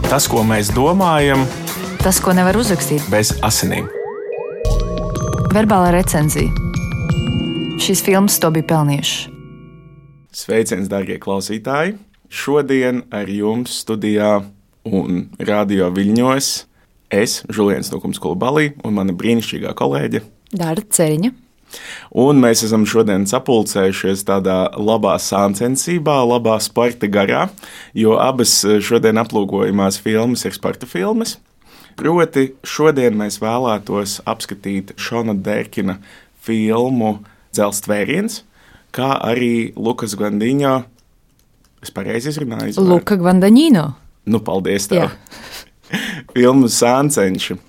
Tas, ko mēs domājam, tas, ko nevar uzrakstīt bez asinīm. Verbālā recenzija. Šīs filmas to bija pelnījušas. Sveiciens, darbie klausītāji! Šodien ar jums studijā un radio Viļņos es, Žuliens Nukums-Kulubalī, un mana brīnišķīgā kolēģe Dārta Ceriņa. Un mēs esam šodien sapulcējušies tādā labā sāncensībā, labā sporta garā, jo abas šodien aplūkojamās filmas ir sporta filmas. Proti, šodien mēs vēlētos apskatīt Šona Derkina filmu Dzelzs tvēriens, kā arī Lukas Guadagnino. Es pareizi izrunāju? Luka Guadagnino. Nu, paldies tev. Filmu Sāncenši.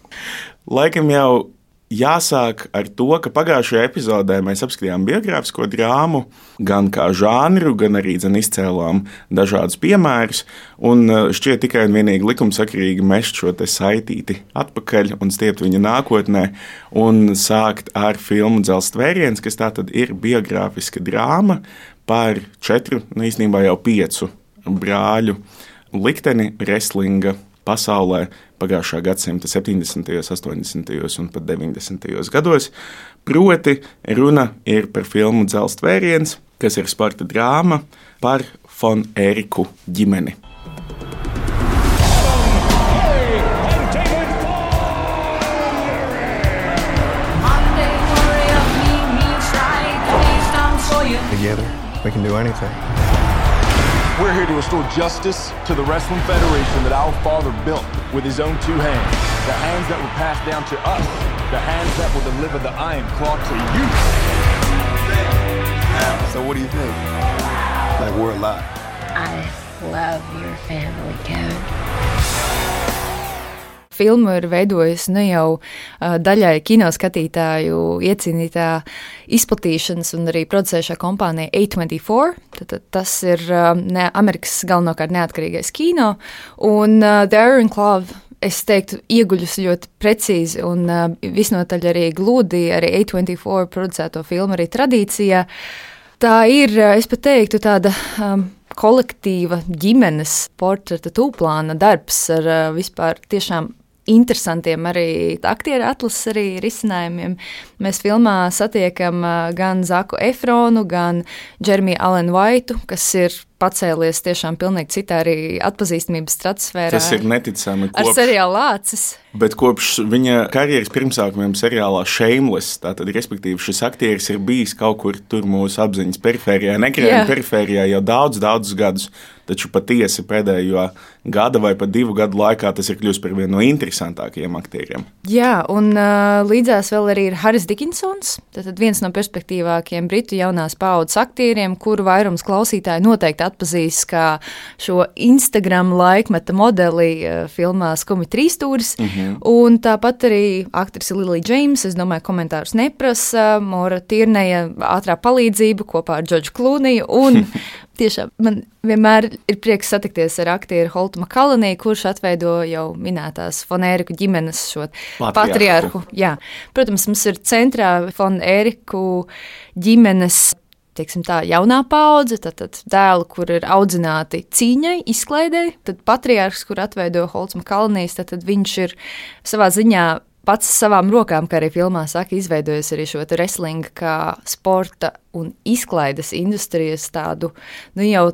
Laikam jau jāsāk ar to, ka pagājušajā epizodē mēs apskatījām biogrāfisko drāmu, gan kā žanru, gan arī izcēlām dažādus piemērus, un šķiet tikai un vienīgi likumsakarīgi mest šo te saitīti atpakaļ un stiept viņu nākotnē, un sākt ar filmu Dzelzs tvēriens, kas tātad ir biogrāfiska drāma par 4, īstenībā jau 5 brāļu likteni wrestlinga pasaulē pagājušā gadsimta 70., 80. un pat 90. gados. Proti, runa ir par filmu Dzelzs tvēriens, kas ir sporta drāma par Von Eriku ģimeni. Together, we can do anything. We're here to restore justice to the Wrestling Federation that our father built with his own 2 hands. The hands that were passed down to us. The hands that will deliver the Iron Claw to you. So what do you think? Like we're alive. I love your family, Kevin. Filmu ir veidojusi ne jau daļai kinoskatītāju iecīnītā izplatīšanas un arī producēšā kompānija A24. Tad tas ir Amerikas galvenokārt neatkarīgais kino. Un The Iron Claw, es teiktu, ieguļus ļoti precīzi un visnotaļ arī gludi arī A24 producēto filmu arī tradīcijā. Tā ir, es pat teiktu, tāda kolektīva ģimenes portreta tūplāna darbs ar vispār tiešām interesantiem arī aktieru atlases arī risinājumiem. Mēs filmā satiekam gan Zaku Efronu, gan Jeremiju Alenu Vaitu, kas ir pacēlies tiešām pilnīgi citā arī atpazīstamības stratosfērā. Tas ir neticami. Ar seriālu Lācis. Bet kopš viņa karjeras pirmsākumiem seriālā Shameless, tātad, respektīvi, šis aktieris ir bijis kaut kur tur mūsu apziņas perifērijā, nekrējuma perifērijā jau daudzus gadus, taču patiesi pēdējo gada vai pat 2 gadu laikā tas ir kļūst par vienu no interesantākajiem aktieriem. Jā, un līdzās vēl arī ir Haris Dickinsons, tātad viens no perspektīvākiem britu jaunās paaudzes aktieriem, kuru vairums klausītāji noteikti atpazīst kā šo Instagram laikmeta modeli filmā Skumi trīsstūris. Un tāpat arī aktrise Lily James, es domāju, komentārus neprasa, Mora Tirneja ātrā palīdzība kopā ar Džordžu Klūniju, un tiešām man vienmēr ir prieks satikties ar aktieru Holtu Makalani, kurš atveido jau minētās Von Eriku ģimenes šo patriarhu. Jā. Protams, mums ir centrā Von Eriku ģimenes, teiksim tā, jaunā paudze, tad dēli, kur ir audzināti cīņai, izklaidei, tad patriarhs, kur atveido Holts Makalnijs, tad viņš ir savā ziņā pats savām rokām, kā arī filmā saka, izveidojis arī šo wrestlinga kā sporta un izklaides industrijas tādu, jau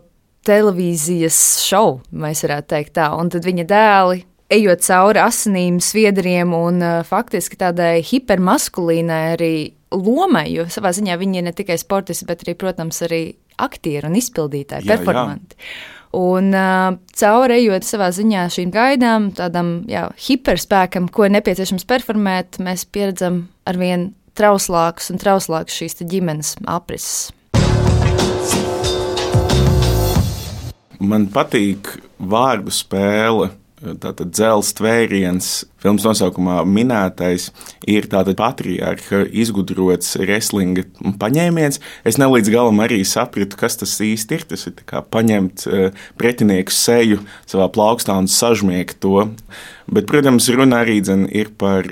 televīzijas šovu, mēs varētu teikt tā, un tad viņa dēli, ejot cauri asinīm, sviedriem un faktiski tādai hipermaskulīnai arī lomai, jo savā ziņā viņi ir ne tikai sportisti, bet arī, protams, arī aktieri un izpildītāji, performanti. Un cauri ejot savā ziņā šīm gaidām, tādam hiperspēkam, ko ir nepieciešams performēt, mēs pieredzam arvien trauslākus un trauslākus šīs ģimenes aprises. Man patīk vārdu spēle. Tātad Dzelzs tvēriens, filmas nosaukumā minētais, ir tātad patriarha izgudrots wrestlinga paņēmiens. Es ne līdz galam arī sapratu, kas tas īsti ir. Tas ir kā paņemt pretinieku seju savā plaukstā un sažmiegt to. Bet, protams, runa arī ir par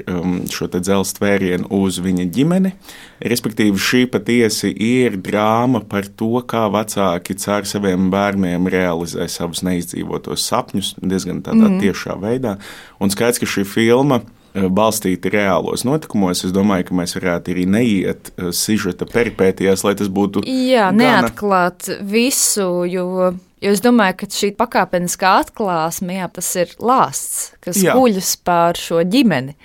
šo te dzelzs tvērienu uz viņa ģimeni. Respektīvi, šī patiesi ir drāma par to, kā vecāki caur saviem bērniem realizē savus neizdzīvotos sapņus diezgan tādā tiešā veidā. Un skaidrs, ka šī filma balstīta reālos notikumos. Es domāju, ka mēs varētu arī neiet sižeta peripētījās, lai tas būtu neatklāt visu, jo es domāju, ka šī pakāpeniskā atklāsme, tas ir lāsts, kas guļas pār šo ģimeni.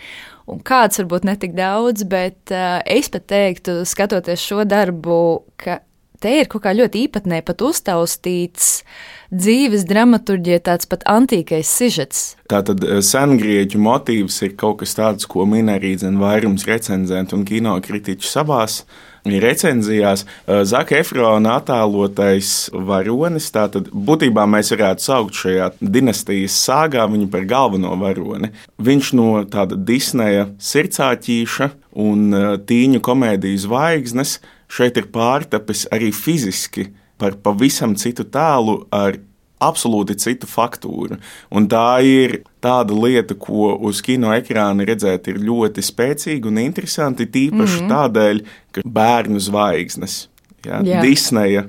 Un kāds varbūt netik daudz, bet es pat teiktu, skatoties šo darbu, ka te ir kaut kā ļoti īpatnē pat uztaustīts dzīves dramaturģija, tāds pat antīkais sižets. Tātad sengrieķu motīvs ir kaut kas tāds, ko min arī vairums recenzentu un kinokritiķu savās recenzijās. Zaka Efrona attēlotais varonis, tātad būtībā mēs varētu saukt šajā dinastijas sāgā viņu par galveno varoni. Viņš no tāda Disneja sirdsāķīša un tīņu komēdiju zvaigznes šeit ir pārtapis arī fiziski par pavisam citu tēlu ar absolūti citu faktūru. Un tā ir tāda lieta, ko uz kino ekrāna redzēt ir ļoti spēcīgi un interesanti, tīpaši tādēļ, ka bērnu zvaigznes, Disneja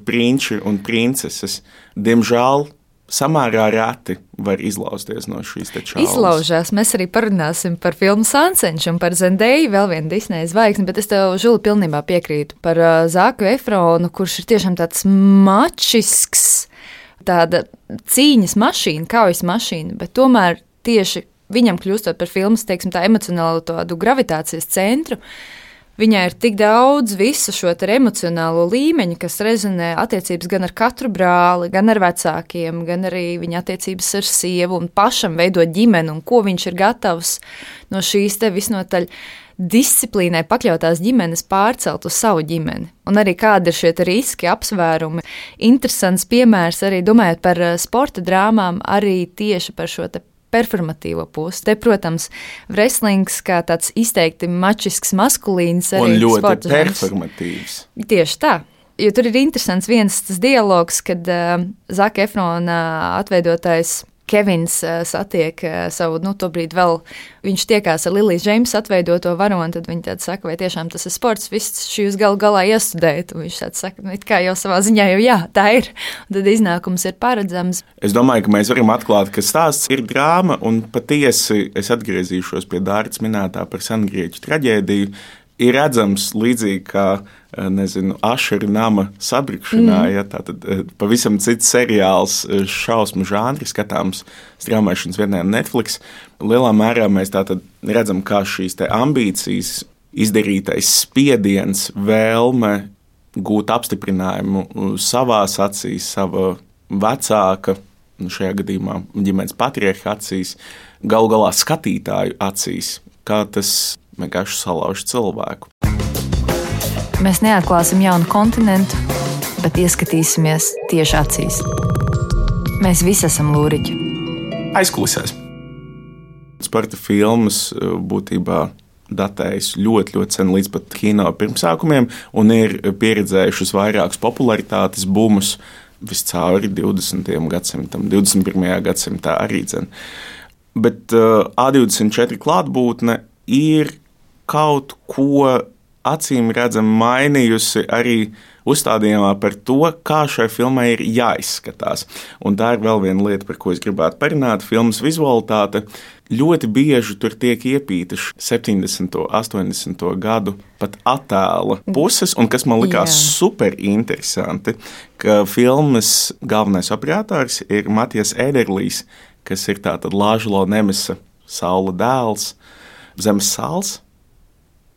prinči un princeses, diemžēl samērā reti var izlausties no šīs te čaulas. Izlaužās. Mēs arī parunāsim par filmu Sansenšu un par Zendeju, vēl vienu Disneja zvaigzni, bet es tev, Žuli, pilnībā piekrītu par Zaku Efronu, kurš ir tiešām tāds mačisks, tāda cīņas mašīna, kaujas mašīna, bet tomēr tieši viņam kļūstot par filmas, teiksim, tā emocionālo tādu gravitācijas centru, viņai ir tik daudz visu šo emocionālo līmeņu, kas rezonē attiecības gan ar katru brāli, gan ar vecākiem, gan arī viņa attiecības ar sievu un pašam veidot ģimeni un ko viņš ir gatavs no šīs te visnotaļ disciplīnai pakļautās ģimenes pārcelt uz savu ģimeni. Un arī kādi ir šie riski, apsvērumi. Interesants piemērs arī domājot par sporta drāmām, arī tieši par šo te performatīvo pusi. Te, protams, wrestlings kā tāds izteikti mačisks, maskulīns arī un ļoti sporta performatīvs. Tieši tā. Jo tur ir interesants viens tas dialogs, kad Zaka Efrona atveidotais Kevins satiek savu, tobrīd vēl viņš tiekās ar Lilijas Džeimsas atveidoto varoni, tad viņi tādi saka, vai tiešām tas ir sports, viss šī jūs galā iestudējat, un viņš tāds saka, it kā jau savā ziņā jau jā, tā ir, un tad iznākums ir paredzams. Es domāju, ka mēs varam atklāt, ka stāsts ir drāma, un patiesi es atgriezīšos pie Dārts minētā par sengrieķu traģēdiju. Ir redzams līdzīgi kā, Ašera nama sabrukšanā, tātad pavisam cits seriāls, šausmu žanri skatāms straumēšanas vienā Netflix. Lielā mērā mēs tātad redzam, kā šīs te ambīcijas, izdarītais spiediens, vēlme gūt apstiprinājumu savās acīs, sava vecāka, šajā gadījumā ģimenes patriarha acīs, galu galā skatītāju acīs, kā tas vienkārši salauž cilvēku. Mēs neatklāsim jaunu kontinentu, bet ieskatīsimies tieši acīs. Mēs visi esam lūriķi. Aizkulisēs. Sporta filmas būtībā datējas ļoti, ļoti sen līdz pat kino pirmsākumiem un ir pieredzējušas vairākus popularitātes bumus viscauri 20. gadsimtam, 21. gadsimtā arī dzen. Bet A24 klātbūtne ir kaut ko acīm redzam mainījusi arī uzstādījumā par to, kā šai filmai ir jāizskatās. Un tā ir vēl viena lieta, par ko es gribētu parunāt. Filmas vizualitāte ļoti bieži tur tiek iepītas 70. 80. gadu pat attēla puses, un kas man likās super interesanti, ka filmas galvenais operators ir Matijas Ederlijs, kas ir tātad Lāžlo Nemesa saula dēls, Zemes sāls.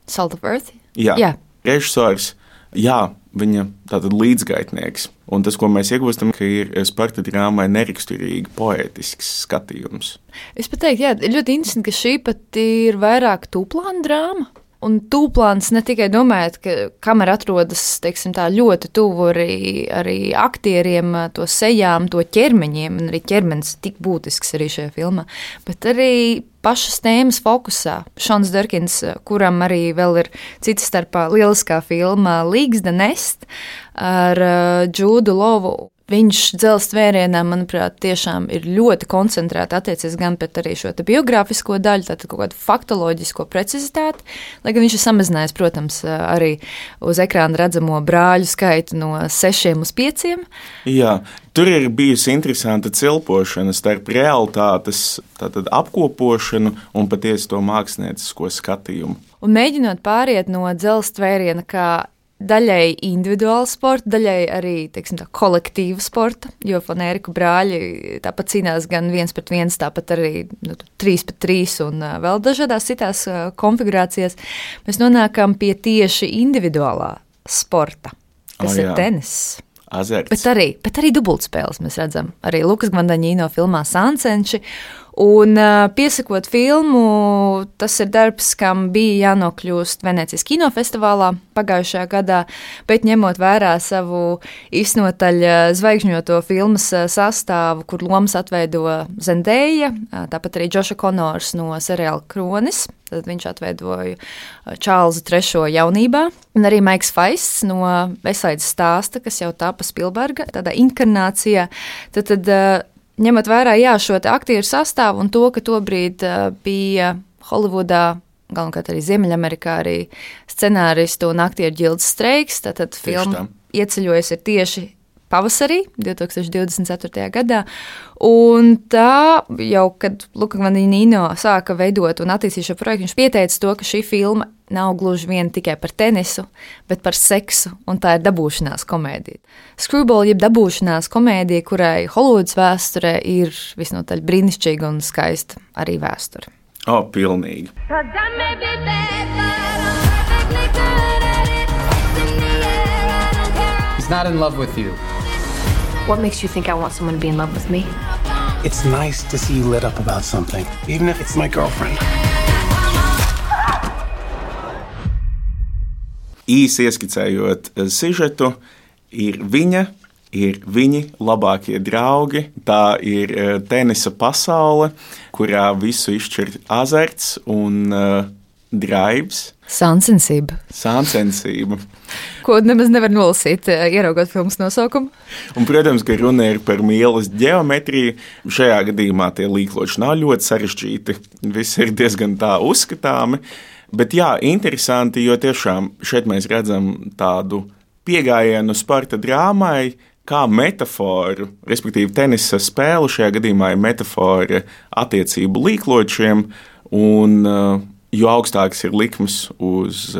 Salt of Earth? Jā. Režisors, viņa tātad līdzgaitnieks. Un tas, ko mēs iegūstam, ka ir sporta drāmai neraksturīgi poētisks skatījums. Es pat teiktu, ļoti interesanti, ka šī pat ir vairāk tūplāna drāma. Un tūplāns ne tikai domājot, ka kamera atrodas, teiksim tā, ļoti tuvu arī aktieriem, to sejām, to ķermeņiem, un arī ķermenis tik būtisks arī šajā filmā, bet arī pašas tēmas fokusā. Šons Derkins, kuram arī vēl ir cita starpā lieliskā filma League's the Nest ar Džūdu Lovu. viņš dzelzs tvērienā, manuprāt, tiešām ir ļoti koncentrēti attiecies gan pret arī šo biogrāfisko daļu, tātad kaut kādu faktoloģisko precizitāti, lai gan viņš ir samazinājis, protams, arī uz ekrāna redzamo brāļu skaitu no 6 uz 5. Jā, tur ir bijusi interesanta cilpošana starp realitātes apkopošanu un patiesi to māksliniecisko skatījumu. Un mēģinot pāriet no dzelzs tvēriena kā daļai individuāla sporta, daļai arī, teiksim tā, kolektīva sporta, jo Von Eriku brāļi tāpat cīnās gan 1-1, tāpat arī 3-3 un vēl dažādās citās konfigurācijās. Mēs nonākam pie tieši individuālā sporta, kas ir tenis. Azarts. Bet arī dubultspēles mēs redzam. Arī Lukas Gvandaņino filmā Sancenši. Un piesakot filmu, tas ir darbs, kam bija jānokļūst Venecijas kinofestivālā pagājušajā gadā, bet ņemot vērā savu iznotaļ zvaigžņoto filmas sastāvu, kur lomas atveido Zendēja, tāpat arī Džoša Konors no seriāla Kronis, tad viņš atveidoja Čārlzu III jaunībā, un arī Maiks Faists no Vesaidas stāsta, kas jau tāpa Spilberga, tādā inkarnācijā, tad ņemot vērā šo aktieru sastāvu un to, ka tobrīd bija Holivudā, galvenokārt arī Ziemeļamerikā, arī scenāristu un aktieru ģildes streiks, tad filma ieceļojas ir tieši pavasarī, 2024. gadā, un tā jau, kad Luka Gvandaņino sāka veidot un attīstīt šo projektu, viņš pieteica to, ka šī filma nav gluži vien tikai par tenisu, bet par seksu, un tā ir dabūšanās komēdija. Screwball, jeb dabūšanās komēdija, kurai Holivudas vēsturē ir visnotaļ brīnišķīga un skaista arī vēsture. Pilnīgi. He's not in love with you. What makes you think I want someone to be in love with me? It's nice to see you lit up about something, even if it's my girlfriend. Īsi ieskicējot sižetu, ir viņi labākie draugi. Tā ir tenisa pasaule, kurā visu izšķir azarts un draibs. Sāncensība. Ko nemaz nevar nolasīt, ieraugot filmas nosaukumu. Un, protams, ka runa ir par mīlas ģeometriju. Šajā gadījumā tie līkloči nav ļoti sarežģīti. Viss ir diezgan tā uzskatāmi. Bet jā, interesanti, jo tiešām šeit mēs redzam tādu piegājienu sporta drāmai kā metaforu, respektīvi tenisa spēle šajā gadījumā ir metafora attiecību līkločiem, un jo augstāks ir likmes uz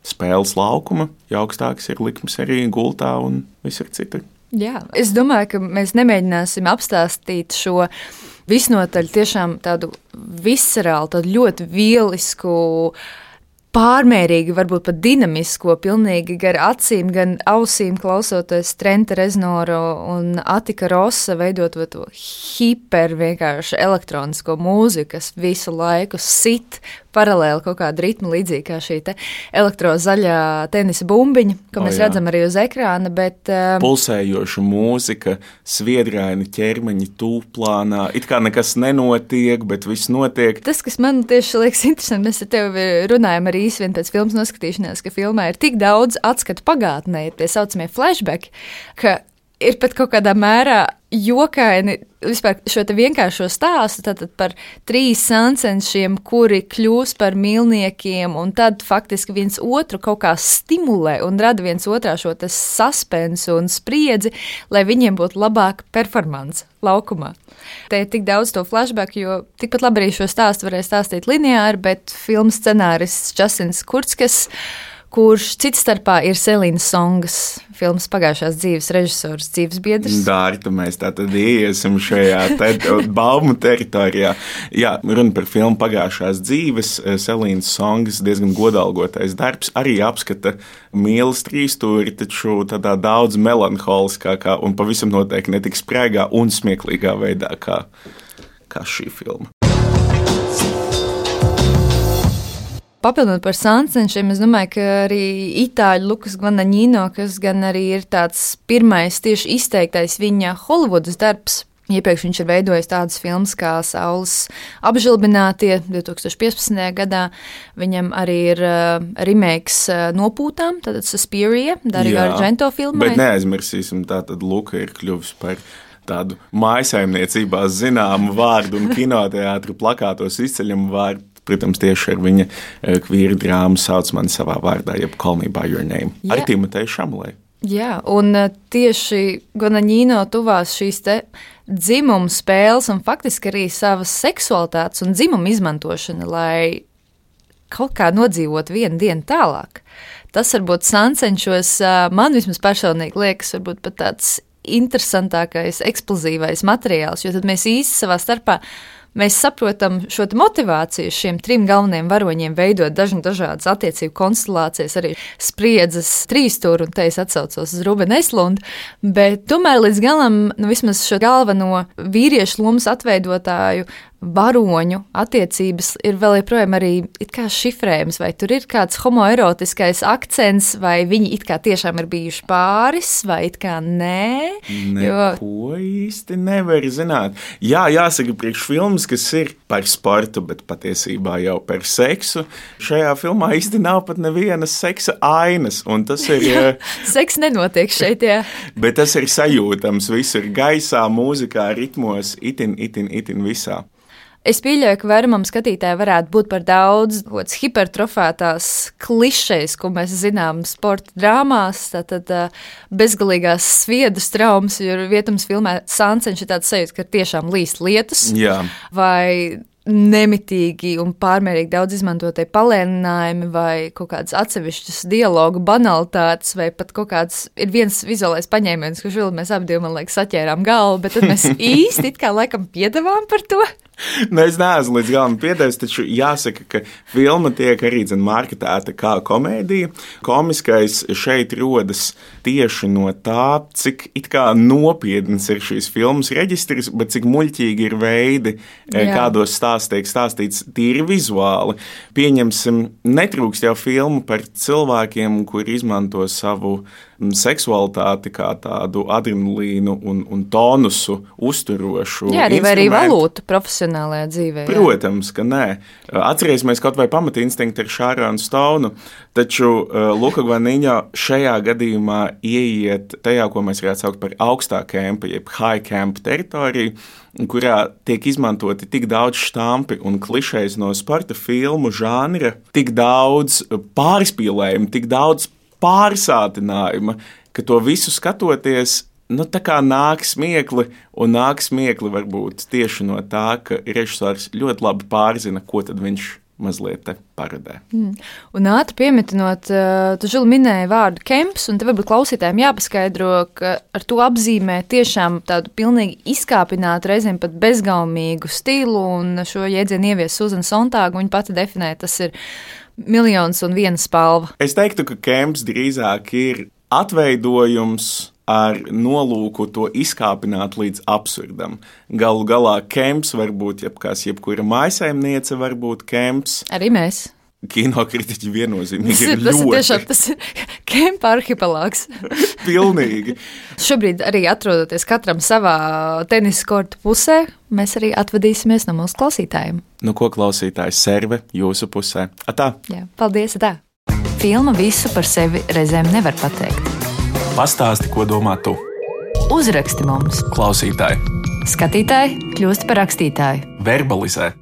spēles laukuma, jo augstāks ir likmes arī gultā un visur citur. Jā, es domāju, ka mēs nemēģināsim apstāstīt šo visnotaļ tiešām tādu viscerālu, tādu ļoti vielisku, pārmērīgi, varbūt pat dinamisko, pilnīgi gar acīm, gan ausīm klausoties Trenta Reznora un Atika Rosa veidot to hiper vienkārši elektronisko mūziku, kas visu laiku sit paralēli kaut kādu ritmu, līdzīgi kā šī elektrozaļā tenisa bumbiņa, ko mēs redzam arī uz ekrāna, bet pulsējoša mūzika, sviedraini ķermeņi tūplānā, it kā nekas nenotiek, bet viss notiek. Tas, kas man tieši liekas interesanti, mēs ar tevi runājam arī īsi vien pēc filmas noskatīšanās, ka filmā ir tik daudz atskatu pagātnē, ir tie saucamie flashbacki, ka ir pat kaut kādā mērā jokaini vispār šo te vienkāršo stāstu tātad par 3 sancenšiem, kuri kļūs par mīlniekiem un tad faktiski viens otru kaut kā stimulē un rada viens otrā šo te suspensu un spriedzi, lai viņiem būtu labāka performance laukumā. Te ir tik daudz to flashback, jo tikpat labi arī šo stāstu varēja stāstīt lineāri, bet filmas scenārists Justins Kurtzkes, kurš cits starpā ir Selīnas Songas filmas pagājušās dzīves režisors, dzīves biedrs. Dārta, mēs tātad iesim šajā baumu teritorijā. Jā, runa par filmu pagājušās dzīves. Selīnas Songas diezgan godalgotais darbs arī apskata mīlas trīstūri, taču tādā daudz melanholiskākā un pavisam noteikti netik spraigā un smieklīgā veidā kā šī filma. Papildinot par Sancenšiem, es domāju, ka arī itāļu Lukas Gvandaņino, kas gan arī ir tāds pirmais tieši izteiktais viņa Holivudas darbs, Iepriekš viņš ir veidojis tādas filmas kā Saules apžilbinātie 2015. gadā. Viņam arī ir remakes Nopūtām, tātad Suspiria, Dario Argento filmai. Bet neaizmirsīsim, tātad Luka ir kļuvis par tādu mājasaimniecībā zināmu vārdu un kinoteātru plakātos izceļamu vārdu. Protams, tieši ar viņa kvīru drāmu Sauc mani savā vārdā, jeb Call me by your name. Ar Timoteju Šamalēju. Jā, un tieši Guadagnino tuvās šīs te dzimumu spēles un faktiski arī savas seksualitātes un dzimumu izmantošana, lai kaut kā nodzīvot vienu dienu tālāk. Tas varbūt Sancenšos man vismaz personīgi liekas varbūt pat tāds interesantākais, eksplozīvais materiāls, jo tad mēs īsti savā starpā mēs saprotam šo motivāciju šiem 3 galvenajiem varoņiem veidot dažādas attiecību konstelācijas, arī spriedzes trīsstūri, un te es atsaucos uz Rubenu Eslundu, bet tomēr līdz galam, vismaz šo galveno vīriešu lomas atveidotāju varoņu attiecības ir vēl joprojām arī it kā šifrējums, vai tur ir kāds homoerotiskais akcents, vai viņi it kā tiešām ir bijuši pāris, vai it kā nē. Neko īsti nevar zināt. Jā, jāsaka, priekš filmas, kas ir par sportu, bet patiesībā jau par seksu. Šajā filmā īsti nav pat nevienas seksa ainas, un tas ir... Seks nenotiek šeit, jā. Bet tas ir sajūtams, viss ir gaisā, mūzikā, ritmos, itin visā. Es pieļauju, ka vairumam skatītāji varētu būt par daudz hipertrofētās klišejas, ko mēs zinām sporta drāmās, tātad bezgalīgās sviedras traumas, jo vietams filmē Sancenš ir tāds sajūta, ka tiešām līst lietus. Jā. Vai nemitīgi un pārmērīgi daudz izmantotie palēninājumi vai kaut kādas atsevišķas dialogu banalitātes vai pat kaut kāds ir viens vizuālais paņēmiens, kurš vēl mēs abi man liekas saķērām galvu, bet tad mēs īsti it kā laikam piedevām par to. Es neesmu līdz galam piedevis, taču jāsaka, ka filma tiek arī marketēta kā komēdija. Komiskais šeit rodas tieši no tā, cik it kā nopietns ir šīs filmas reģistrs, bet cik muļķīgi ir veidi, kādos tiek stāstīts tīri vizuāli. Pieņemsim, netrūkst jau filmu par cilvēkiem, kuri izmanto savu seksualitāti kā tādu adrenalīnu un tonusu uzturošu. Jā, arī valūtu profesionālajā dzīvē. Jā. Protams, ka nē. Atcerēsimies kaut vai pamatinstinktu ar Šāronu Stounu, taču Luka Guadagnino šajā gadījumā ieiet tajā, ko mēs varētu saukt par augstā kempa, jeb high camp teritoriju, kurā tiek izmantoti tik daudz štampi un klišejas no sporta filmu žanra, tik daudz pārspīlējumu, tik daudz pārsātinājuma, ka to visu skatoties, tā kā nāk smiekli, un nāk smiekli varbūt tieši no tā, ka režisors ļoti labi pārzina, ko tad viņš mazliet te parodē. Un ātri piemetinot, tu Žili minēji vārdu kemps, un te varbūt klausītājiem jāpaskaidro, ka ar to apzīmē tiešām tādu pilnīgi izkāpinātu, reizēm pat bezgaumīgu stilu, un šo jēdzienu ievies Suzana Sontāga, viņa pati definē, tas ir 1,001 spalva. Es teiktu, ka kemps drīzāk ir atveidojums ar nolūku to izkāpināt līdz absurdam. Galu galā kemps var būt jebkura mājasaimniece, var būt kemps. Arī mēs. Kinokritiķi viennozīmīgi ir ļoti. Tas ir tiešām kempa arhipelāgs. Pilnīgi. Šobrīd arī atrodoties katram savā tenisa korta pusē, mēs arī atvadīsimies no mūsu klausītājiem. Nu ko klausītājs serve jūsu pusē? Atā. Jā, paldies, atā. Filma visu par sevi reizēm nevar pateikt. Pastāsti, ko domā tu. Uzraksti mums. Klausītāji. Skatītāji kļūst par rakstītāju. Verbalizē.